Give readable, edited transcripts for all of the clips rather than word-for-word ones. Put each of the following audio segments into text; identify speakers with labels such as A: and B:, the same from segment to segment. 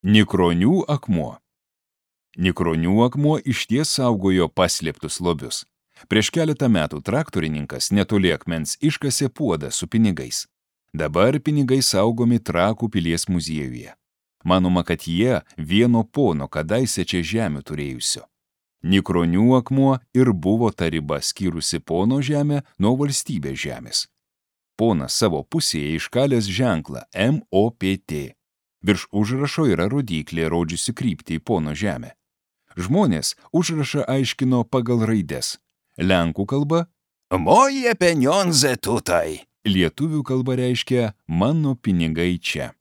A: Nikronių akmuo. Nikronių akmuo išties saugojo paslėptus lobius. Prieš keletą metų traktorininkas netoli akmens iškasė puodą su pinigais. Dabar pinigai saugomi Trakų pilies muziejuje. Manoma, kad jie vieno pono kadaise čia žemių turėjusio. Nikronių akmuo ir buvo ta riba skyrusi pono žemę nuo valstybės žemės. Ponas savo pusėje iškalęs ženklą MOPT. Virš užrašo yra rodyklė, rodžiusi kryptį į pono žemę. Žmonės užrašą aiškino pagal raides. Lenkų kalba
B: Moje penionze tutai.
A: Lietuvių kalba reiškia mano pinigai čia.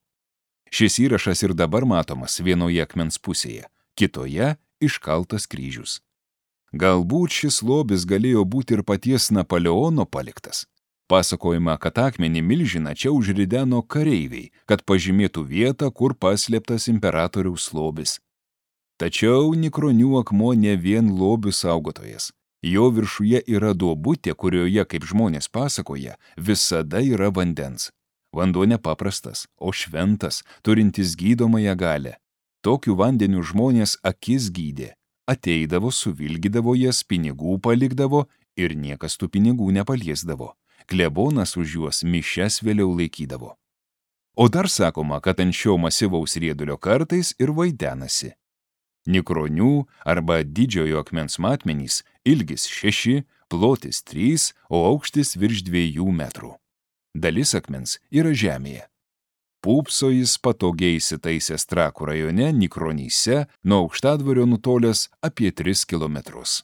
A: Šis įrašas ir dabar matomas vienoje akmens pusėje, kitoje iškaltas kryžius. Galbūt šis lobis galėjo būti ir paties Napoleono paliktas. Pasakojama, kad akmenį milžiną čia užrideno kareiviai, kad pažymėtų vietą, kur paslėptas imperatoriaus lobis. Tačiau Nikronių akmuo ne vien lobių saugotojas. Jo viršuje yra duobutė, kurioje, kaip žmonės pasakoja, visada yra vandens. Vanduo nepaprastas, o šventas, turintis gydomąją galią. Tokiu vandeniu žmonės akis gydė. Ateidavo, suvilgydavo jas, pinigų palikdavo ir niekas tų pinigų nepaliesdavo. Klebonas už juos mišias vėliau laikydavo. O dar sakoma, kad ant šio masyvaus riedulio kartais ir vaidenasi. Nikronių arba didžiojo akmens matmenys ilgis 6, plotis 3, o aukštis virš 2 metrų. Dalis akmens yra žemėje. Pūpso jis patogiai įsitaisęs Trakų rajone Nikronyse, nuo Aukštadvario nutolęs apie 3 kilometrus.